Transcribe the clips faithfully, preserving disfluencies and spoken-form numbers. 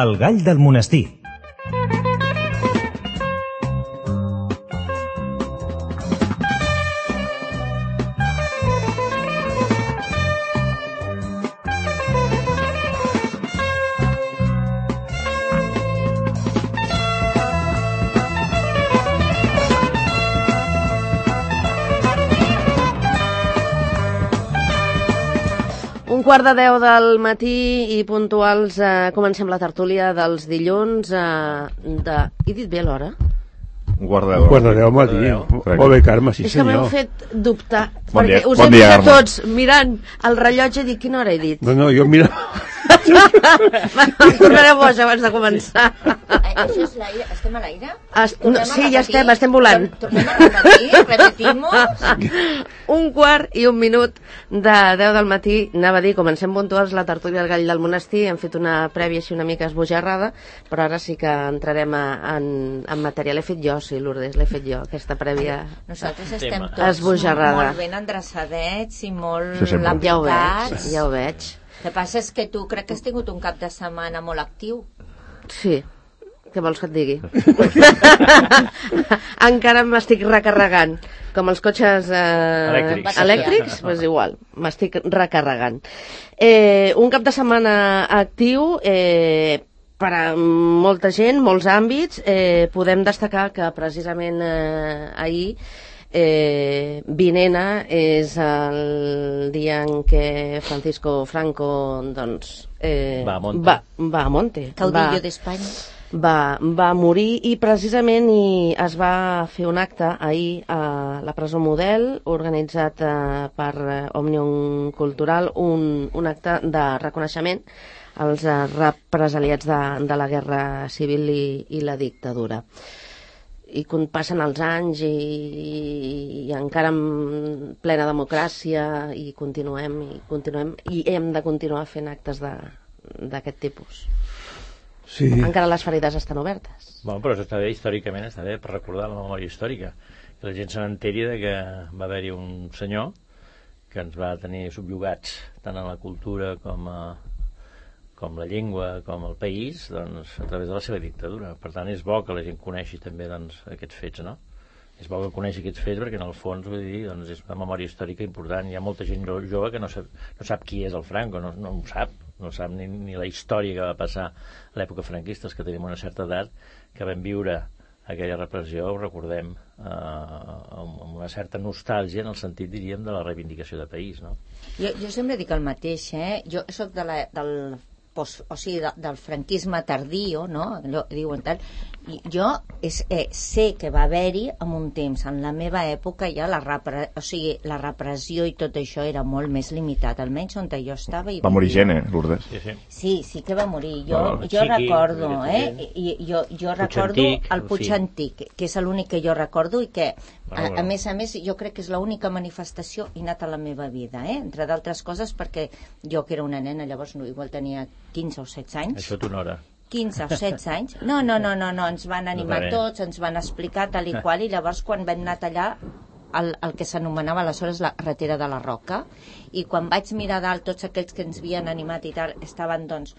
El gall del monestir. Un quart de deu del matí i puntuals eh, comencem la tertúlia dels dilluns eh, de... He dit bé l'hora? Un quart de deu. Un quart de deu matí. Molt bé, Carme, sí és senyor. És que m'heu fet dubtar. Bon dia, perquè us bon he dia, vist a Carme. tots mirant el rellotge i dic, quina hora he dit? No, no, jo mira... Em tornaré boja abans de començar. Això és l'aire? Estem a l'aire? Es, no, sí, ja estem, estem volant. Tornem a repetir, repetimos. Un quart i un minut de deu del matí, anava a dir, comencem puntuals la tertúlia del gall del monestir, hem fet una prèvia així una mica esbojarrada, però ara sí que entrarem a, en, en matèria. L'he fet jo, sí, Lourdes, l'he fet jo, aquesta prèvia. Nosaltres estem tots esbojarrada. Molt ben endreçadets i molt Sí, sempre. Ja ho veig, lampicats. ja ho veig. El que passa és que tu crec que has tingut un cap de setmana molt actiu. Sí, què vols que et digui? Encara m'estic recarregant. Com els cotxes eh, Elèctrics. elèctrics, pues igual, m'estic recarregant. Eh, un cap de setmana actiu, eh, per a molta gent, molts àmbits. Eh, podem destacar que precisament eh, ahir Eh, Vinena és el dia en què Francisco Franco doncs, eh, va a Monte, va, va, a Monte. Caudillo va, d'Espanya. va, va morir i precisament i es va fer un acte ahir a la presó Model organitzat eh, per eh, Òmnium Cultural, un, un acte de reconeixement als eh, represaliats de, de la guerra civil i, i la dictadura. I quan passen els anys i, i encara en plena democràcia i continuem i continuem i hem de continuar fent actes d'aquest tipus. Sí. Encara les ferides estan obertes. Bueno, però això està bé, històricament està bé per recordar la memòria històrica, que la gent se n'enteri de que va haver-hi un senyor que ens va tenir subjugats tant en la cultura com a com la llengua, com el país, doncs, a través de la seva dictadura. Per tant, és bo que la gent coneixi també doncs, aquests fets, no? És bo que coneixi aquests fets perquè, en el fons, vull dir, doncs, és una memòria històrica important. Hi ha molta gent jove que no sap, no sap qui és el Franco, no, no ho sap, no sap ni, ni la història que va passar a l'època franquista, els que tenim una certa edat, que vam viure aquella repressió, ho recordem, eh, amb, amb una certa nostàlgia en el sentit, diríem, de la reivindicació de país, no? Jo, jo sempre dic el mateix, eh? Jo soc de la, del... Post, o sigui, de, del franquisme tardío, no? Allò, diuen tal. I jo és, eh, sé que va haver-hi en un temps, en la meva època ja la, repre, o sigui, la repressió i tot això era molt més limitat, almenys on jo estava. I va morir gent, eh, Lourdes? Sí, sí. Sí, sí que va morir. Jo, No, jo Chiqui, recordo, eh? gent. I, jo jo Puig recordo Antic, el Puig sí. Antic, que és l'únic que jo recordo i que, Bueno, a, a bueno. més a més, jo crec que és l'única manifestació innata a la meva vida, eh? Entre d'altres coses perquè jo, que era una nena, llavors no, igual tenia quinze o setze anys. Això t'honora. quinze o setze anys. No, no, no, no, no, ens van animar No, tots, ens van explicar tal i qual, i llavors quan vam anar a tallar el, el que s'anomenava aleshores la carretera de la Roca, i quan vaig mirar dalt tots aquells que ens havien animat i tal, estaven doncs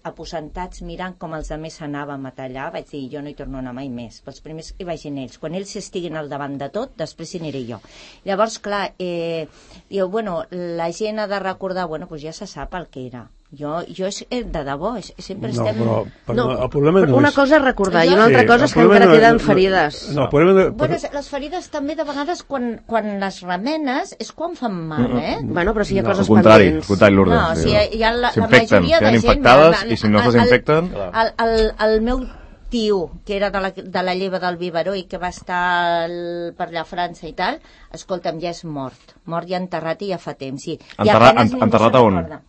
aposentats mirant com els altres anàvem a tallar, vaig dir, jo no hi torno a anar mai més. Els primers hi vagin ells. Quan ells estiguin al davant de tot, després hi aniré jo. Llavors, clar, eh, diu, bueno, la gent ha de recordar, bueno, doncs ja se sap el que era. Jo, jo és, eh, de debò, és, sempre No, estem... però, però No, el problema no una és... cosa és recordar i una Sí, altra el cosa és que problema encara no- queden no- ferides. No, el problema... De, Bueno, les ferides també de vegades quan, quan les remenes és quan fan mal, eh? Bueno, però si hi ha No, coses Al contrari, al pendents. contrari, Lourdes. No, o sigui, hi ha la, la S'infecten, majoria de queden gent... infectades el- i si no el- se desinfecten... El, el, el meu tio, que era de la, de la lleva del Biberó i que va estar el, per allà a França i tal, escolta'm, ja és mort. Mort i enterrat i ja fa temps, sí. I Enterrat- apenas en- ningú enterrat se'n a on? recorda.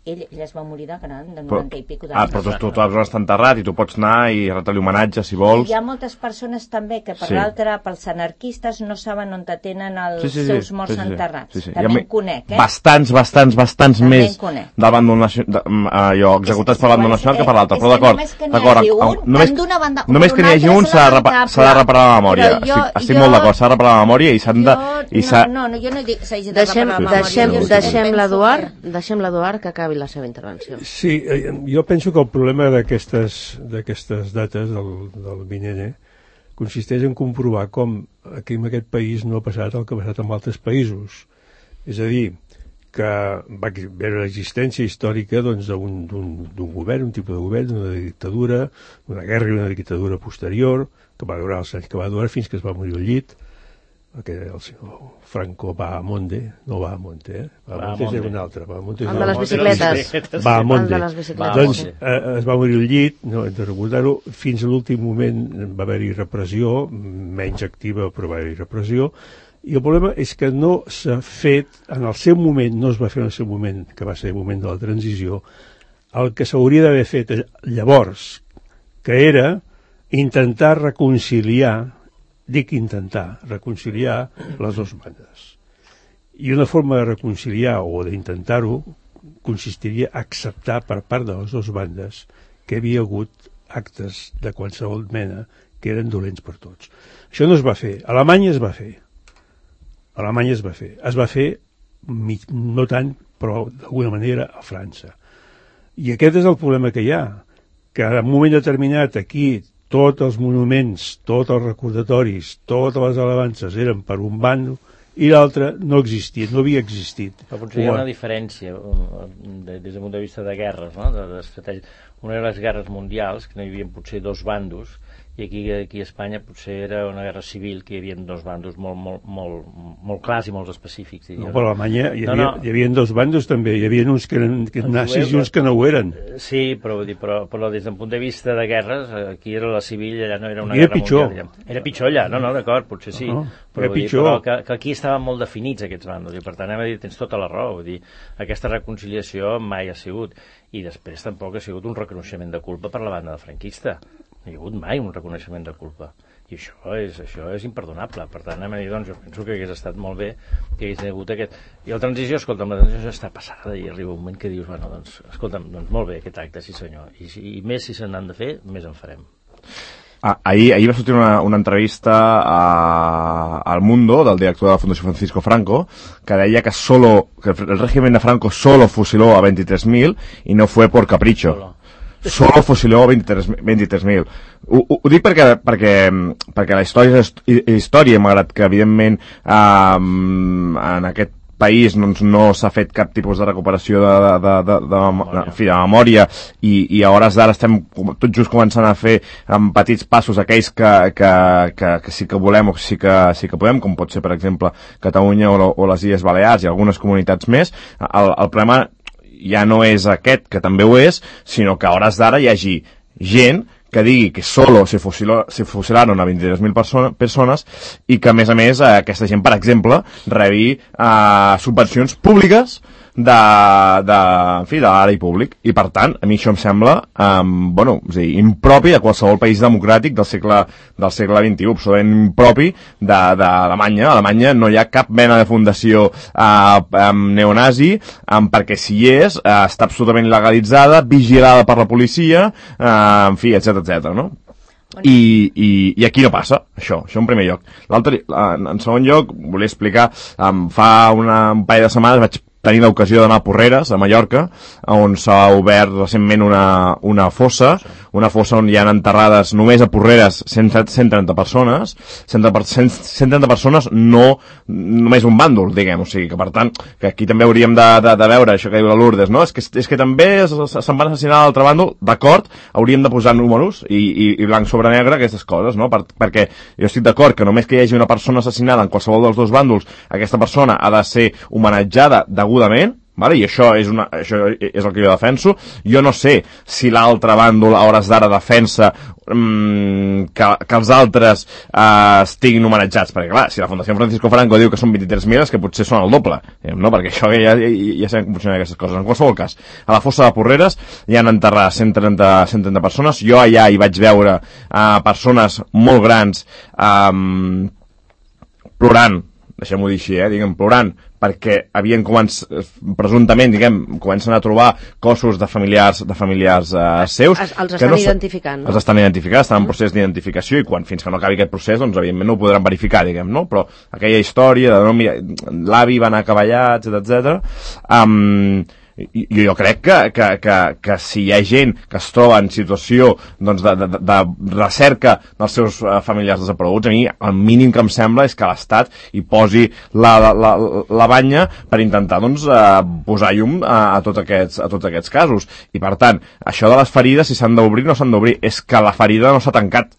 Ell, ell es va morir de gran, de Però, noranta i pico ah, d'anys. però tu, tu, tu vas estar enterrat i tu pots anar i retre-li homenatge si vols. Hi ha moltes persones també que per Sí. l'altre, pels anarquistes, no saben on tenen els Sí, sí, sí, seus morts sí, sí, sí. enterrats. Sí, sí. També Hi ha en conec, eh? Bastants, bastants, bastants També més en conec. del bàndol nacional, allò, executats per bàndol nacional que per l'altre, És però que d'acord, només que n'hi d'acord, hagi un, amb- només, tant d'una banda com només que n'hi d'una hagi altra un és s'ha de, repa- lamentable. s'ha de reparar la memòria. Però jo- estic estic jo- molt d'acord, s'ha de reparar la memòria i s'han de... Jo, I s'ha... no, no, no, jo no dic que s'hagi de Deixem, reparar la memòria. deixem, Jo deixem penso l'Eduard que- deixem l'Eduard que acabi acabi la seva intervenció. Sí, jo penso que el problema d'aquestes d'aquestes dates del, del Vinene consisteix en comprovar com aquí en aquest país no ha passat el que ha passat en altres països. És a dir, que va haver l'existència històrica doncs, d'un d'un govern, un tipus de govern, d'una dictadura, d'una guerra i una dictadura posterior, que va durar els anys que va durar fins que es va morir al llit, que el senyor Franco va a Monde, no va a Monte, eh? Va a Monte és un altre. El de les bicicletes. Va a Monde. bicicletes. Doncs eh, es va morir al llit, no hem de recordar-ho, fins a l'últim moment va haver-hi repressió, menys activa però va haver-hi repressió, i el problema és que no s'ha fet, en el seu moment, no es va fer en el seu moment, que va ser el moment de la transició, el que s'hauria d'haver fet llavors, que era intentar reconciliar, dic intentar, reconciliar les dues bandes. I una forma de reconciliar o d'intentar-ho consistiria a acceptar per part de les dues bandes que hi havia hagut actes de qualsevol mena que eren dolents per tots. Això no es va fer. A Alemanya es va fer. A Alemanya es va fer. Es va fer, no tant, però d'alguna manera a França. I aquest és el problema que hi ha, que en un moment determinat aquí tots els monuments, tots els recordatoris, totes les alabances eren per un bando i l'altre no existia, no havia existit. Però potser hi ha una diferència des del punt de vista de guerres, no? d'estratègia. Una de les guerres mundials, que no hi havia potser dos bandos, i aquí, aquí a Espanya potser era una guerra civil que hi havia dos bandos molt, molt, molt, molt clars i molt específics. Diria. No, però a Alemanya hi havia, no, no. hi havia dos bandos també, hi havia uns que eren que nazis i uns que no ho eren. Sí, però, però, però des del punt de vista de guerres, aquí era la civil, allà no era una era guerra pitjor. mundial. Era pitjor allà, no, no, d'acord, potser sí. No, però, era dir, pitjor. però que, que aquí estaven molt definits aquests bandos, i per tant hem de dir, tens tota la raó, vull dir, aquesta reconciliació mai ha sigut, i després tampoc ha sigut un reconeixement de culpa per la banda de franquista. No hi ha hagut mai un reconeixement de culpa, i això és, això és imperdonable. Per tant, anem a dir, doncs, jo penso que hagués estat molt bé que hagués hagut aquest... I la transició, escolta'm, la transició està passada i arriba un moment que dius, bueno, doncs, escolta'm, doncs molt bé aquest acte, sí senyor, i, i més si se n'han de fer, més en farem. Ah, ahir, ahir va sortir una, una entrevista a, al Mundo del director de la Fundació Francisco Franco que deia que, solo, que el régimen de Franco solo fusiló a veintitrés mil y no fue por capricho. Solo. Solo fusiló a veintitrés mil. Ho, ho, ho dic perquè, perquè, perquè la història és història, malgrat que evidentment eh, en aquest país doncs, no s'ha fet cap tipus de recuperació de, de, de, de, de, de, de, de memòria i, i a hores d'ara estem tot just començant a fer amb petits passos aquells que, que, que, que sí que volem o sí que, sí que podem, com pot ser per exemple Catalunya o, o les Illes Balears i algunes comunitats més. El, el problema ja no és aquest, que també ho és, sinó que a hores d'ara hi hagi gent que digui que solo se, fusiló, se fusilaron a veintitrés mil persona, persones i que, a més a més, eh, aquesta gent, per exemple, rebi eh, subvencions públiques de, de, en fi, de l'àrea públic. I, per tant, a mi això em sembla eh, bueno, és a dir, impropi de qualsevol país democràtic del segle, del segle vint-i-u, absolutament impropi d'Alemanya. A Alemanya no hi ha cap mena de fundació eh, neonazi, eh, perquè si hi és, eh, està absolutament legalitzada, vigilada per la policia, eh, en fi, etcètera, etcètera, no? I, i, i aquí no passa, això, això en primer lloc. L'altre, en segon lloc, volia explicar, um, fa una, un parell de setmanes vaig tenir l'ocasió d'anar a Porreres, a Mallorca, on s'ha obert recentment una, una fossa, una fossa on hi ha enterrades només a Porreres cent trenta persones, cent trenta persones, no només un bàndol, diguem, o sigui que per tant, que aquí també hauríem de, de, de veure això que diu la Lourdes, no? És que, és que també se'n van assassinar a l'altre bàndol, d'acord, hauríem de posar números i, i, i blanc sobre negre aquestes coses, no? Per, perquè jo estic d'acord que només que hi hagi una persona assassinada en qualsevol dels dos bàndols, aquesta persona ha de ser homenatjada degudament, vale? I això és, una, això és el que jo defenso. Jo no sé si l'altre bàndol a hores d'ara defensa mmm, que, que els altres eh, estiguin homenatjats, perquè clar, si la Fundació Francisco Franco diu que són vint-i-tres mil, és que potser són el doble, no? Perquè això ja, ja, ja sabem com funcionen aquestes coses. En qualsevol cas, a la fossa de Porreres hi han enterrat cent trenta persones. Jo allà hi vaig veure eh, persones molt grans eh, plorant, deixem-ho dir així, eh, diguem, plorant, perquè havien començat, presumptament, diguem, comencen a trobar cossos de familiars, de familiars eh, seus. Els, els estan no identificant, no? Els estan identificant, estan en procés d'identificació i quan fins que no acabi aquest procés, doncs, evidentment, no ho podran verificar, diguem, no? Però aquella història de, no, mira, l'avi va anar a cavallar, etcètera, etcètera, um, I, i jo crec que, que, que, que si hi ha gent que es troba en situació doncs, de, de, de recerca dels seus uh, familiars desapareguts, a mi el mínim que em sembla és que l'Estat hi posi la, la, la, la banya per intentar doncs, uh, posar llum a, a, tots aquests, a tots aquests casos. I per tant, això de les ferides, si s'han d'obrir o no s'han d'obrir, és que la ferida no s'ha tancat.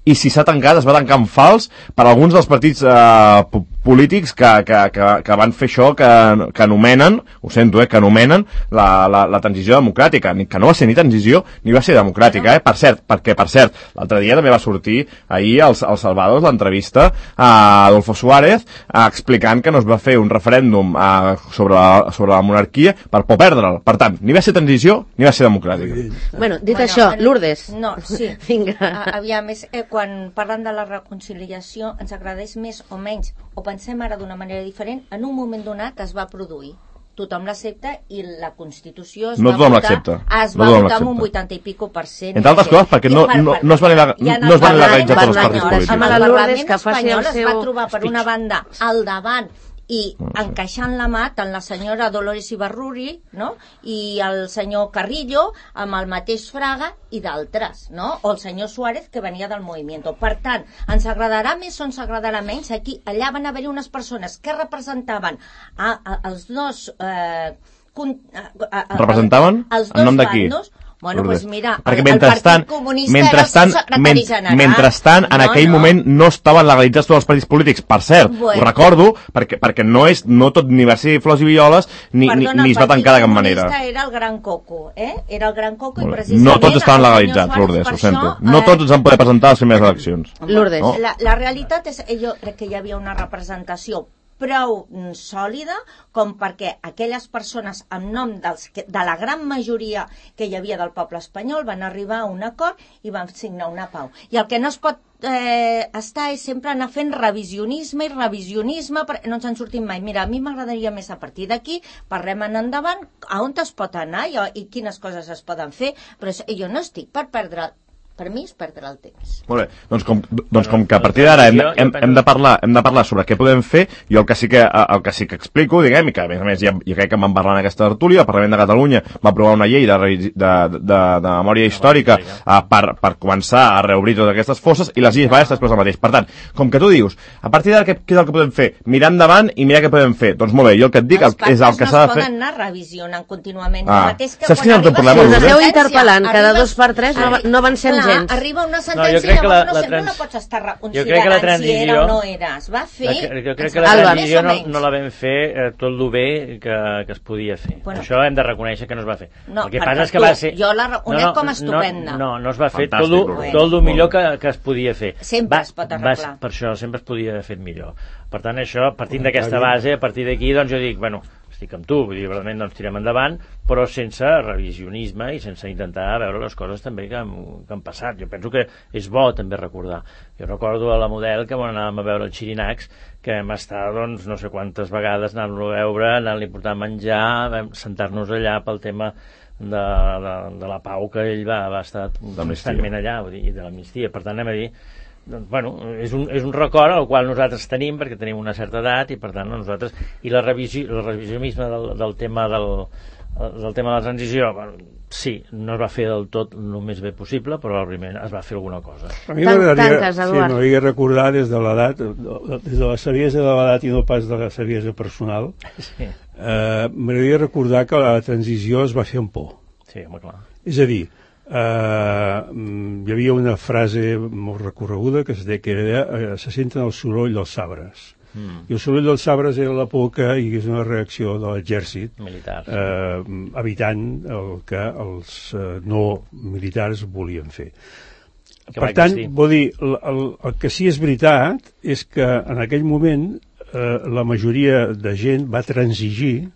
I si s'ha tancat, es va tancar en fals per alguns dels partits eh, polítics que, que, que, que van fer això, que, que anomenen, ho sento, eh, que anomenen la, la, la transició democràtica, que no va ser ni transició ni va ser democràtica, eh? Per cert, perquè, per cert, l'altre dia també va sortir ahir als, als Salvados l'entrevista a Adolfo Suárez eh, explicant que no es va fer un referèndum eh, sobre, la, sobre la monarquia per por perdre'l. Per tant, ni va ser transició ni va ser democràtica. Bueno, dit bueno, això, el... Lourdes. No, sí. Vinga. A, aviam, és, eh, quan parlen de la reconciliació ens agradeix més o menys, o pensem ara d'una manera diferent, en un moment donat es va produir. Tothom l'accepta i la Constitució es no va tothom votar, es no va votar amb un vuitanta i pico per cent. Entre altres coses, perquè no, no, no es van legalitzar tots els partits polítics. El Parlament espanyol es va trobar per una banda al davant i encaixant la mà tant la senyora Dolores Ibarruri, no? I el senyor Carrillo amb el mateix Fraga i d'altres, no? O el senyor Suárez que venia del Movimiento. Per tant, ens agradarà més o ens agradarà menys, aquí, allà van haver-hi unes persones que representaven a, a, els dos eh, con, a, a, a, representaven? Els dos en nom de qui? bandos. Bueno, doncs pues mira, perquè el, mentrestant, el Partit Comunista mentrestant, era el secretari general. Mentrestant, en no, aquell no. moment no estaven legalitzats tots els partits polítics. Per cert, bueno. Ho recordo, perquè, perquè no és no tot ni va ser flors i violes, ni, Perdona, ni, ni es va tancar de cap manera. El Partit Comunista era el Gran Coco, eh? Era el Gran Coco i precisament... No tots estaven legalitzats, Lourdes, ho sento. No tots ens han poder presentar a les primeres eleccions. Lourdes. No? La, la realitat és, jo crec que hi havia una representació prou sòlida com perquè aquelles persones en nom dels, de la gran majoria que hi havia del poble espanyol van arribar a un acord i van signar una pau. I el que no es pot eh, estar és sempre anar fent revisionisme i revisionisme, perquè no ens en sortim mai. Mira, a mi m'agradaria més a partir d'aquí, parlem en endavant, a on es pot anar i, i quines coses es poden fer, però jo no estic per perdre per mi és perdre el temps. Molt bé, doncs com, doncs com que a partir d'ara hem, hem, hem, de parlar, hem de parlar sobre què podem fer, jo el que sí que, el que, sí que explico, diguem, i que a més a més ja, jo crec que vam parlar en aquesta tertúlia, el Parlament de Catalunya va aprovar una llei de, de, de, de, de memòria històrica uh, per, per començar a reobrir totes aquestes fosses, i les Illes Balears després el mateix. Per tant, com que tu dius, a partir d'ara què, què és el que podem fer? Mirar endavant i mirar què podem fer. Doncs molt bé, jo el que et dic el, és el que s'ha de fer... Els pactes no es poden anar revisionant contínuament. Ah. Mateix que saps quin és el teu problema? Si us esteu interpel·lant cada dos per tres no, no avancem clar, gens. Arriba una sentència, no, jo crec que la, no, la sempre trans... no pots estar jo crec que la transició... si era o no era. Es va fer... La, jo crec que la Alba. transició no, no la vam fer eh, tot el bé que, que es podia fer. Bueno, això hem de reconèixer que no es va fer. No, el que passa és que va ser... Jo la reconec no, no, com a estupenda. No, no, no es va fer fantàstic, tot, el, tot el millor que, que es podia fer. Sempre va, es pot arreglar. Va, per això sempre es podia haver fet millor. Per tant, això, partint d'aquesta base, a partir d'aquí, doncs jo dic, bueno, estic amb tu, vull dir, realment doncs tirem endavant, però sense revisionisme i sense intentar veure les coses també que han, que han passat. Jo penso que és bo també recordar. Jo recordo a la Model que quan anàvem a veure el Xirinacs, que vam estar, doncs, no sé quantes vegades anant-lo a veure, anant-li a portar menjar, vam sentar-nos allà pel tema de, de, de la pau que ell va, va estar constantment allà, vull dir, i de l'amnistia. Per tant, anem a dir, doncs, bueno, és un, és un record al qual nosaltres tenim perquè tenim una certa edat i per tant nosaltres, i la revisió, el revisionisme del, del tema del, del tema de la transició, bueno, sí, no es va fer del tot el més bé possible, però probablement es va fer alguna cosa. A mi m'agradaria sí, recordar des de l'edat, des de la saviesa de l'edat i no pas de la saviesa personal, sí. eh, m'agradaria recordar que la transició es va fer amb por. Sí, home, clar. És a dir, Uh, hi havia una frase molt recorreguda que es deia que era, uh, se senten el soroll dels sabres mm. i el soroll dels sabres era la por que hi hagués una reacció de l'exèrcit militar, uh, evitant el que els uh, no militars volien fer. Que per tant, vol dir, el, el, el que sí és veritat és que en aquell moment uh, la majoria de gent va transigir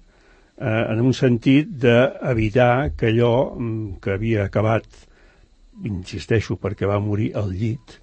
Eh, en un sentit d'evitar que allò que havia acabat, insisteixo, perquè va morir al llit,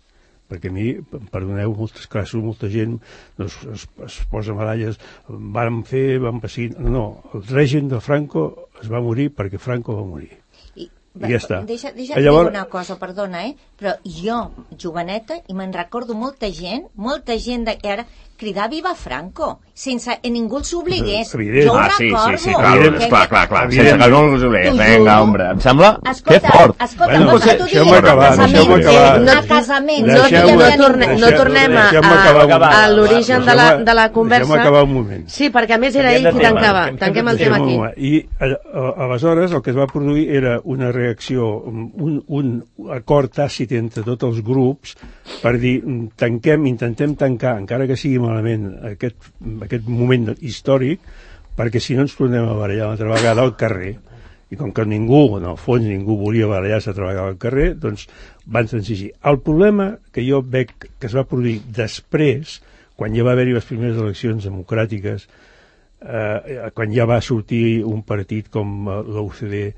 perquè a mi, perdoneu, moltes classes, molta gent es, es, es posa medalles, van fer, van passar... No, no, el règim de Franco es va morir perquè Franco va morir. I, I ja està. Deixa, deixa llavors... dir una cosa, perdona, eh? Però jo, joveneta, i me'n recordo molta gent, molta gent de, ara, cridar Viva Franco, sense que ningú els obligués. Evident. Jo ho Ah, sí, recordo. sí, sí, clar, Evident. clar, clar, clar, Evident. sense que no els obligués. T'ho Vinga, juro. hombre, em sembla que Escolta, fort. escolta, Bueno, vols que t'ho deixeu-me digui? acabar, A deixeu-me casament, acabar. eh, a casament. No, Deixeu-me- no, torne, no deixeu- tornem a, deixeu-me a, acabar un a moment. l'origen de, la, de la conversa. Deixeu-me acabar un moment. Sí, perquè a més era Canviem ell de qui tema, tancava. canviem de Tanquem el Deixeu-me tema un aquí. moment. I a, a, aleshores el que es va produir era una reacció, un, un acord tàcit entre tots els grups per dir, tanquem, intentem tancar, encara que sigui malament, aquest, aquest moment històric, perquè si no ens tornem a barallar una altra vegada al carrer. I com que ningú, en el fons ningú volia barallar-se altra vegada al carrer, doncs van transigir. El problema que jo veig que es va produir després, quan ja va haver-hi les primeres eleccions democràtiques, eh, quan ja va sortir un partit com l'U C D,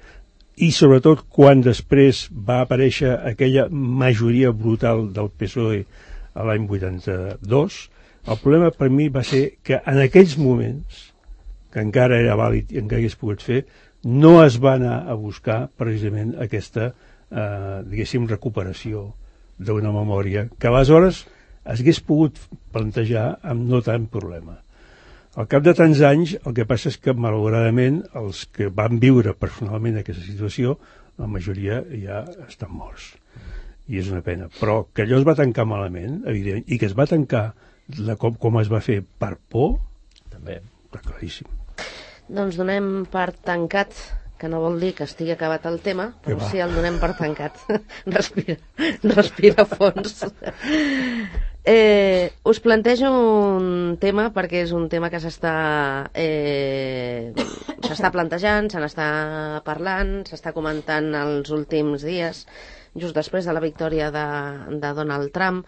i sobretot quan després va aparèixer aquella majoria brutal del P S O E a l'any vuitanta-dos, el problema per mi va ser que en aquells moments, que encara era vàlid i encara hagués pogut fer, no es va anar a buscar precisament aquesta, eh, diguéssim, recuperació d'una memòria que aleshores es hagués pogut plantejar amb no tant problema. Al cap de tants anys, el que passa és que, malauradament, els que van viure personalment aquesta situació, la majoria ja estan morts. I és una pena. Però que allò es va tancar malament, evident, i que es va tancar la, com, com es va fer per por, També. està claríssim. Doncs donem per tancat, que no vol dir que estigui acabat el tema, però va. sí el donem per tancat. Respira, respira a fons. Eh, us plantejo un tema perquè és un tema que s'està eh, s'està plantejant, se n'està parlant, s'està comentant els últims dies, just després de la victòria de, de Donald Trump,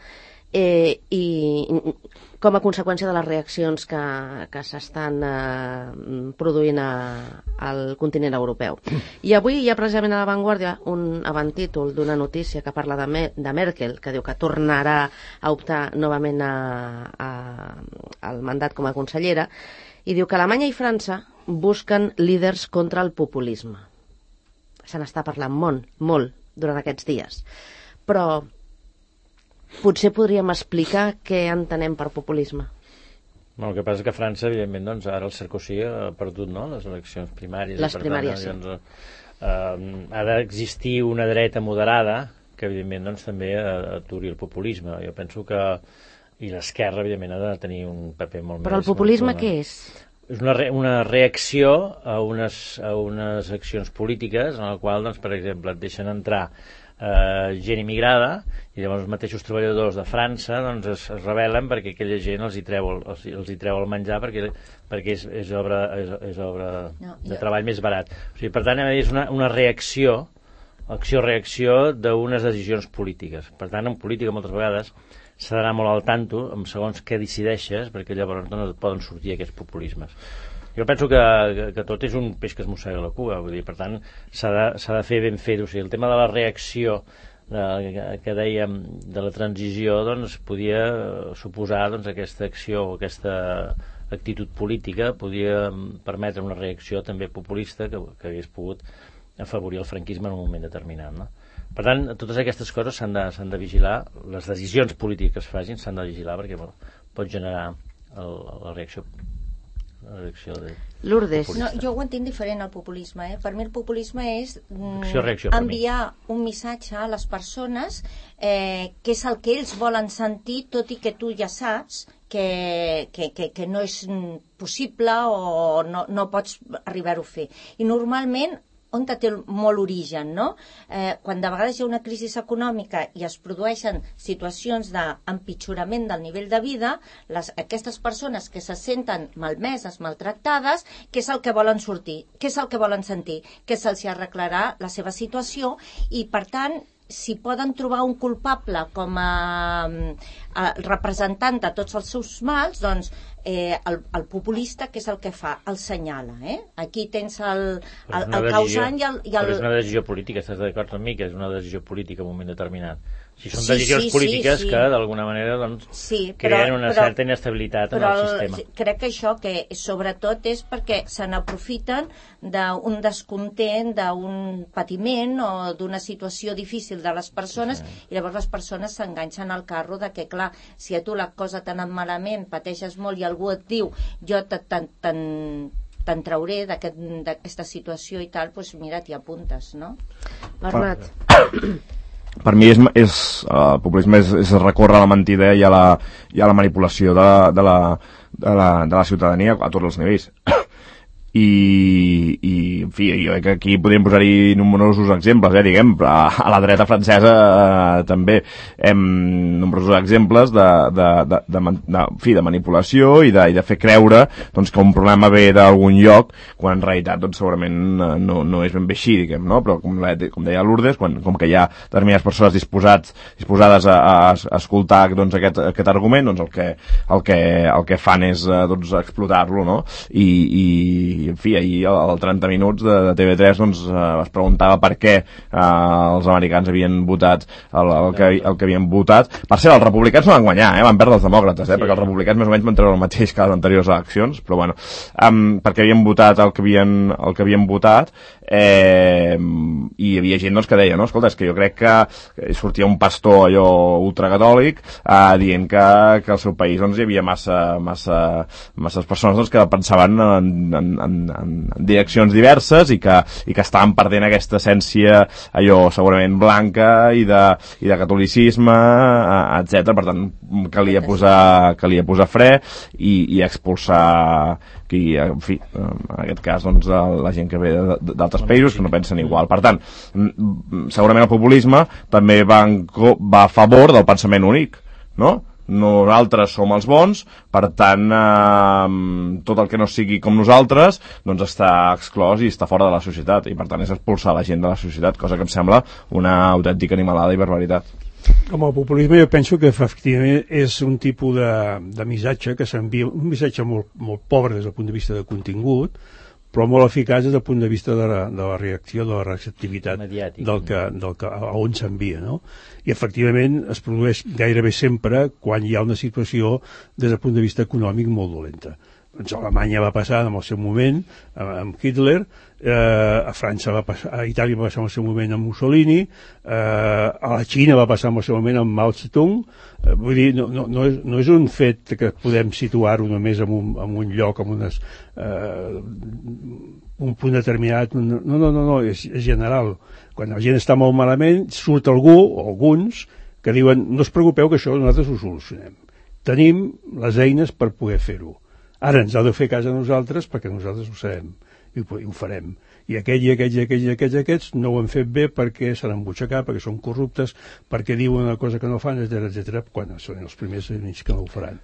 eh, i com a conseqüència de les reaccions que, que s'estan eh, produint a, al continent europeu. I avui hi ha precisament a La Vanguardia un avantítol d'una notícia que parla de, Me de Merkel, que diu que tornarà a optar novament a, a, al mandat com a consellera, i diu que Alemanya i França busquen líders contra el populisme. Se n'està parlant molt, molt durant aquests dies. Però potser podríem explicar què entenem per populisme. No, el que passa és que a França, evidentment, doncs, ara el Sarkozy ha perdut, no?, les eleccions primàries. Les i, per primàries, tant, sí. doncs, eh, ha d'existir una dreta moderada que, evidentment, doncs, també aturi el populisme. Jo penso que... I l'esquerra, evidentment, ha de tenir un paper molt més... Però el populisme molt, què és? És una, re una reacció a unes, a unes accions polítiques en la qual, doncs, per exemple, et deixen entrar eh, gent immigrada i llavors els mateixos treballadors de França doncs, es, es rebel·len perquè aquella gent els hi treu el, els, els hi treu el menjar perquè, perquè és, és, obra, és, és obra No, de jo- treball més barat. O sigui, per tant, és una, una reacció, acció-reacció d'unes decisions polítiques. Per tant, en política moltes vegades s'ha d'anar molt al tanto amb segons què decideixes, perquè llavors no et poden sortir aquests populismes. Jo penso que, que, que tot és un peix que es mossega la cua, vull dir, per tant, s'ha de, s'ha de fer ben fet. O sigui, el tema de la reacció de, que, que dèiem de la transició, doncs, podia suposar doncs, aquesta acció o aquesta actitud política podia permetre una reacció també populista que, que hagués pogut afavorir el franquisme en un moment determinat, no? Per tant, totes aquestes coses s'han de, s'han de vigilar, les decisions polítiques que es facin s'han de vigilar perquè bueno, pot generar el, la reacció la reacció de... Lourdes. No, jo ho entenc diferent, el populisme. Eh? Per mi el populisme és mm, Acció, reacció, per mi. enviar un missatge a les persones eh, que és el que ells volen sentir, tot i que tu ja saps que, que, que, que no és mm, possible o no, no pots arribar-ho a fer. I normalment on té molt origen, no? Eh, quan de vegades hi ha una crisi econòmica i es produeixen situacions d'empitjorament del nivell de vida, les, aquestes persones que se senten malmeses, maltractades, què és el que volen sortir? Què és el que volen sentir? Que se'ls arreglarà la seva situació i, per tant, si poden trobar un culpable com a, a representant de tots els seus mals, doncs eh, el, el populista, què és el que fa? El senyala, eh? Aquí tens el, Però és el, una el decisió- causant i el... I Però el... és una decisió política, estàs d'acord amb mi que és una decisió política en un moment determinat. Si són Sí, decisions sí, sí, polítiques sí. que d'alguna manera doncs, Sí, creen però- una però- certa inestabilitat en però el sistema. crec que això que sobretot és perquè se n'aprofiten d'un descontent, d'un patiment o d'una situació difícil de les persones, i llavors les persones s'enganxen al carro de que, clar, si a tu la cosa t'ha anat malament, pateixes molt i algú et diu jo te- te'n te'n- te'n trauré d'aquest- d'aquesta situació i tal, doncs mira, t'hi apuntes, no? Bernat. Per mi és, és, el populisme és, és recórrer a la mentida i a la, i a la manipulació de, de, la, de, la, de la ciutadania a tots els nivells. I, i en fi, jo crec que aquí podríem posar-hi nombrosos exemples, eh, diguem, a, a la dreta francesa eh, també hem nombrosos exemples de, de, de, de, de, de, en fi, de manipulació i de, i de fer creure doncs, que un problema ve d'algun lloc quan en realitat doncs, segurament no, no és ben bé així, diguem, no? Però com, la, com deia Lourdes, quan, com que hi ha determinades persones disposats, disposades a, a, a escoltar doncs, aquest, aquest argument, doncs el que, el que, el que fan és doncs, explotar-lo, no? I, i en fi, ahir al trenta minuts de, de T V tres doncs, eh, es preguntava per què eh, els americans havien votat el, el, que, el que havien votat. Per cert, els republicans no van guanyar, eh? Van perdre els demòcrates, eh? Sí. Perquè els republicans més o menys van treure el mateix que les anteriors eleccions, però bueno, um, perquè havien votat el que havien, el que havien votat, eh, i hi havia gent doncs, que deia, no? Escolta, és que jo crec que sortia un pastor allò ultracatòlic eh, dient que, que al seu país doncs, hi havia massa, massa, masses persones doncs, que pensaven en, en, en En, en direccions diverses i que, i que estaven perdent aquesta essència allò segurament blanca i de, i de catolicisme, etcètera. Per tant, calia posar, calia posar fre i, i expulsar qui, en fi, en aquest cas doncs, la gent que ve d'altres països que no pensen igual. Per tant, segurament el populisme també va, en, va a favor del pensament únic, no? Nosaltres som els bons, per tant eh, tot el que no sigui com nosaltres doncs està exclòs i està fora de la societat, i per tant és expulsar la gent de la societat, cosa que em sembla una autèntica animalada i barbaritat. Com a populisme jo penso que efectivament és un tipus de, de missatge que s'envia, un missatge molt, molt pobre des del punt de vista de contingut, però molt eficaç des del punt de vista de la, de la reacció, de la receptivitat del que, del que, a on s'envia, no? I efectivament es produeix gairebé sempre quan hi ha una situació des del punt de vista econòmic molt dolenta. Doncs a Alemanya va passar en el seu moment amb Hitler, eh, a França va passar, a Itàlia va passar en el seu moment amb Mussolini, eh, a la Xina va passar en el seu moment amb Mao Zedong. Eh, vull dir, no, no, no, és, no és un fet que podem situar-ho només en un, en un lloc, en unes, eh, un punt determinat. No, no, no, no és, és general. Quan la gent està molt malament, surt algú, o alguns, que diuen no us preocupeu que això nosaltres ho solucionem. Tenim les eines per poder fer-ho. Ara ens ha de fer cas a nosaltres perquè nosaltres ho sabem i ho, i ho farem. I aquells i aquells i aquells i aquells, aquests no ho han fet bé perquè s'han embutxacat, perquè són corruptes, perquè diuen una cosa que no fan, etcètera, etcètera, quan són els primers que no ho faran.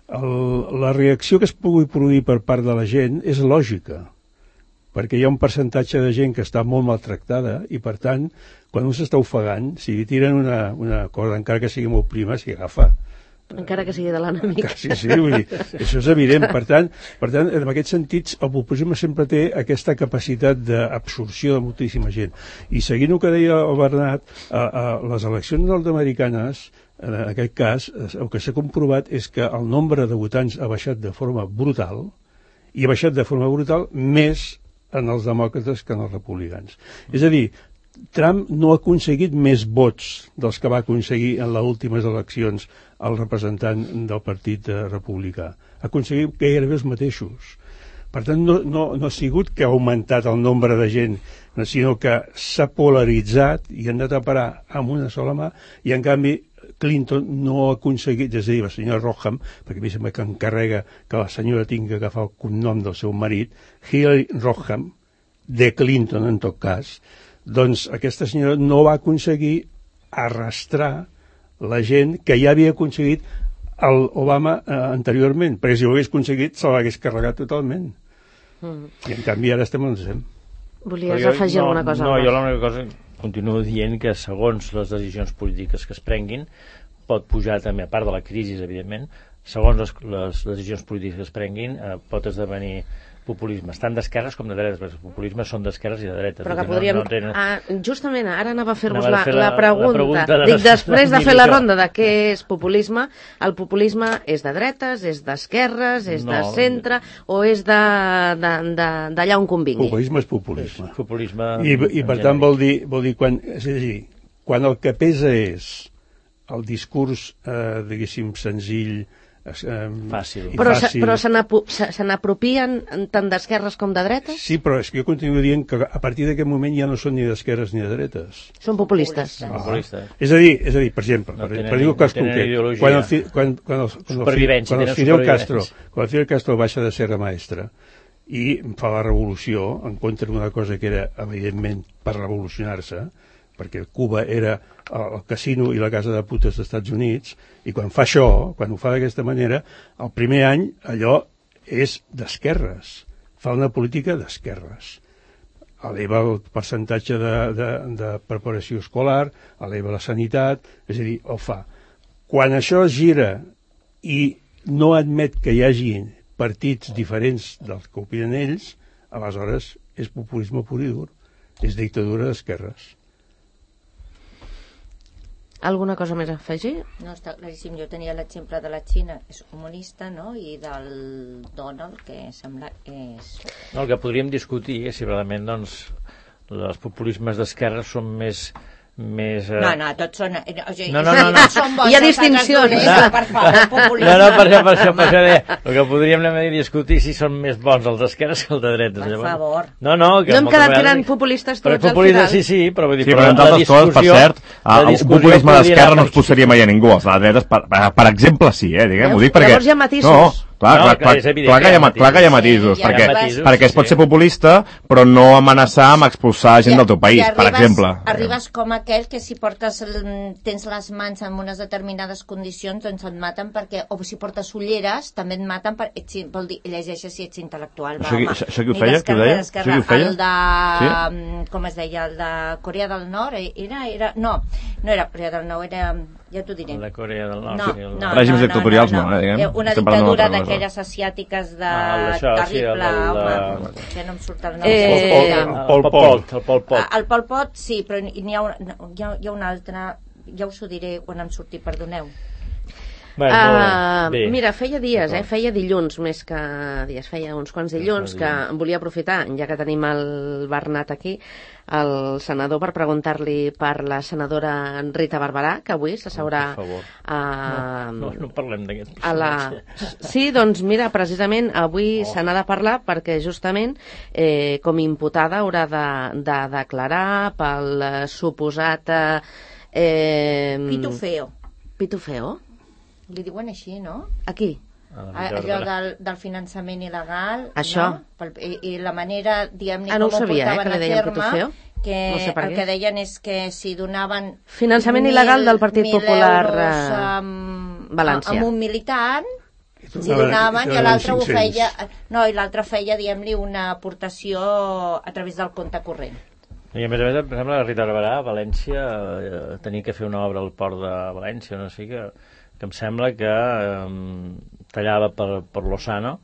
El, la reacció que es pugui produir per part de la gent és lògica, perquè hi ha un percentatge de gent que està molt maltractada i, per tant, quan un s'està ofegant, si li tiren una, una cosa, encara que sigui molt prima, s'hi agafa. Encara que sigui de l'enemic. Sí, sí, vull dir, això és evident. Per tant, per tant, en aquests sentits, el populisme sempre té aquesta capacitat d'absorció de moltíssima gent. I seguint el que deia el Bernat, a, a les eleccions nord-americanes, en aquest cas, el que s'ha comprovat és que el nombre de votants ha baixat de forma brutal, i ha baixat de forma brutal més en els demòcrates que en els republicans. És a dir, Trump no ha aconseguit més vots dels que va aconseguir en les últimes eleccions el representant del partit republicà. Ha aconseguit gairebé els mateixos. Per tant, no, no, no ha sigut que ha augmentat el nombre de gent, sinó que s'ha polaritzat i han anat a parar amb una sola mà, i en canvi Clinton no ha aconseguit, és a dir, la senyora Roham, perquè a mi sembla que encarrega que la senyora tingui que agafar el cognom del seu marit, Hillary Roham, de Clinton en tot cas, doncs aquesta senyora no va aconseguir arrastrar la gent que ja havia aconseguit el Obama eh, anteriorment, perquè si ho hagués aconseguit se l'hagués carregat totalment. Mm. I en canvi ara estem on estem. Volies jo, afegir no, alguna cosa? No, jo l'única cosa, continuo dient que segons les decisions polítiques que es prenguin, pot pujar també, a part de la crisi, evidentment, segons les, les decisions polítiques que es prenguin, eh, pot esdevenir populisme, tant d'esquerres com de dretes, perquè els populismes són d'esquerres i de dretes. Però que podríem... No, no tenen... ah, justament, ara anava a fer-vos Anava la, a fer la, la- la pregunta. la pregunta de Dic, les- després de de fer la això. ronda de què és populisme, el populisme és de dretes, és d'esquerres, és de No. centre, o és de- de- de- d'allà on convingui? Populisme és populisme. Populisme... I, i per en tant genèric. vol dir, vol dir quan, és a dir, quan el que pesa és el discurs, eh, diguéssim, senzill, eh, Fàcil. i Però, se, fàcil. però se n'apo- se se n'apropien tant d'esquerres com de dretes? Sí, però és que jo continuo dient que a partir d'aquest moment ja no són ni d'esquerres ni de dretes. Són populistes. Populistes. És a dir, és a dir, per exemple, No per, tenen per dir un ni- cas no tenen concret, ideologia. quan el, fi- quan, quan el, quan el, fi- Supervivència, quan el tenen Fidel supervivència. Castro, quan el Fidel Castro baixa de Serra Maestra i fa la revolució en contra d'una cosa que era, evidentment, per revolucionar-se, perquè Cuba era el casino i la casa de putes dels Estats Units, i quan fa això, quan ho fa d'aquesta manera, el primer any allò és d'esquerres, fa una política d'esquerres. Eleva el percentatge de, de, de preparació escolar, eleva la sanitat, és a dir, ho fa. Quan això es gira i no admet que hi hagi partits diferents dels que opinen ells, aleshores és populisme pur i dur, és dictadura d'esquerres. Alguna cosa més a afegir? No, està claríssim. Jo tenia l'exemple de la Xina, és comunista, no?, i del Donald, que sembla que és... No, el que podríem discutir és si realment doncs, els populismes d'esquerra són més... més eh... No, no, tots són... eh, O sigui, No, no, no, no. Són bons, Hi ha els altres distincions. dolents, No. per favor, populisme. No, no, per això, per això, per això deia, el que podríem anar a discutir si són més bons els d'esquerres que els de dretes. Per favor. No, no, que No hem moltes quedat vegades- gran populistes Però tots al populisme, final. sí, sí, però vull dir... Sí, però entre la altres coses, per discussió- cert, la el discussió populisme podria d'esquerra anar no es posaria mai a ningú, els de dretes, per, per, per exemple, sí, eh, diguem, Veus? ho dic perquè... Llavors hi ha matisos. No, clar, No, clar, clar, clar, és evident clar, que que hi hi ha ha, clar que hi ha matisos. matisos, Sí, hi ha perquè, matisos, perquè es pot sí. ser populista, però no amenaçar amb expulsar gent del teu país, I per arribes- exemple. Arribes com aquell que si portes el, tens les mans en unes determinades condicions, doncs et maten perquè, o si portes ulleres, també et maten per, ets, vol dir, llegeixes si ets intel·lectual. Va, Això qui- home. això- això qui ho Ni feia? d'esquerra Qui ho deia? ni d'esquerra. Això qui ho feia? El de, com es deia, el de Corea del Nord, eh, era, era, no, no era Corea del Nord, era, ja t'ho diré. El de Corea del Nord. No, sí, el... no, Règims no, dictatorials no, no, eh, diguem. Eh, Una Estem parlant d'una dictadura altra cosa. d'aquelles asiàtiques de... Ah, el d'això, sí, el terrible, del- home, que no em surt el nom. Eh, com es Pol- deia. Pol- El Pol Pol Pot. Pot. El Pol Pot. Ah, el Pol Pot, sí, però n'hi ha, una, hi ha, hi ha un altre, ja us ho diré quan em surti, perdoneu. Bueno, Uh, bé. mira, feia dies, eh? D'acord. feia dilluns més que dies, feia uns quants dilluns que em volia aprofitar, ja que tenim el Bernat aquí, el senador, per preguntar-li per la senadora Rita Barberà, que avui s'asseurà Per favor. a... No, no parlem d'aquest a la... personatge. Sí, doncs mira, precisament avui se n'ha de parlar perquè justament eh, com imputada haurà de, de declarar pel eh, suposat... Eh, eh, Pitufeo. Pitufeo? Li diuen així, no? Aquí. A la Ah, Rita allò Barberà. del, del finançament il·legal. Això. No? Pel, i, I la manera, diguem-ne, Ah, no ho com ho sabia, eh, portaven que li a deien terme, pitufeo. que No sé per el què. que deien és que si donaven... Finançament mil- il·legal del Partit mil Popular, euros, eh, amb, valencià. amb un militant, si donaven- donaven, i donaven l'altre ho cinc-cents. feia... No, i l'altre feia, diguem-li, una aportació a través del compte corrent. I a més a més, em sembla que Rita Barberà a València eh, tenia que fer una obra al port de València, no sé, que, que em sembla que eh, tallava per, per Lozano